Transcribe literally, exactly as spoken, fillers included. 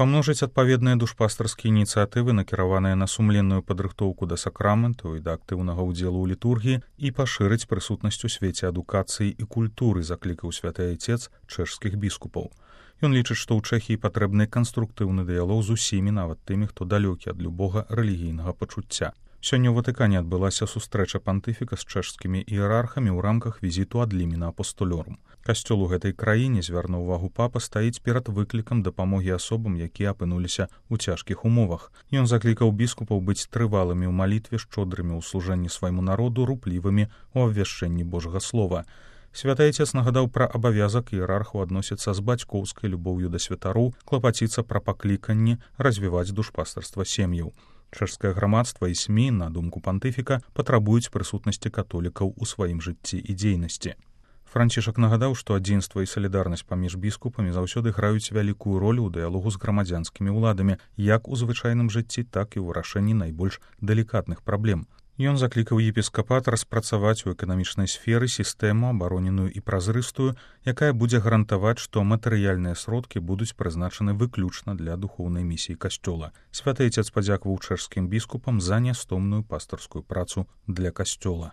памножыць адпаведныя душпастарскія ініцыятывы, накіраваныя на сумленную падрыхтоўку да сакраменту і да актыўнага ўдзелу ў літургіі, і пашырыць прысутнасць у свеце адукацыі і культуры, заклікаў святы айцец чэшскіх біскупаў. Ён лічыць, што ў Чэхіі патрэбны канструктыўны дыялог з усімі, нават тымі, хто далёкі ад любога рэлігійнага пачуцця. Сёння ў Ватыкане адбылася сустрэча пантыфіка з чэшскімі іерархамі ў рамках візіту ад ліміна апостолёрум. Касцёл у гэтай краіне, звярнуў увагу папа, стаіць перад выклікам дапамогі асобам, якія апынуліся ў цяжкіх умовах. Ён заклікаў біскупаў быць трывалымі ў малітве, шчодрымі ў служэнні свайму народу, руплівымі ў абвяшчэнні Божага слова. Святы айцец нагадаў пра абавязак іерарху адносіцца з бацькоўскай любоўю да святароў, клапаціцца пра пакліканні развіваць душпастарства сем'яў. Чэшскае грамадства і СМІ, на думку пантыфіка, патрабуюць прысутнасці католікаў у сваім жыцці і дзейнасці. Францішак нагадаў, што адзінства і салідарнасць паміж біскупамі заўсёды граюць вялікую ролю ў дыялогу з грамадзянскімі ўладамі, як у звычайным жыцці, так і ў вырашэнні найбольш далікатных праблем. Ён заклікаў епіскапат распрацаваць у эканамічнай сферы сістэму, абароненую і празрыстую, якая будзе гарантаваць, што матэрыяльныя сродкі будуць прызначаны выключна для духоўнай місіі касцёла. Святы айцец падзякаваў чэшскім біскупам за нястомную пастарскую працу для касцёла.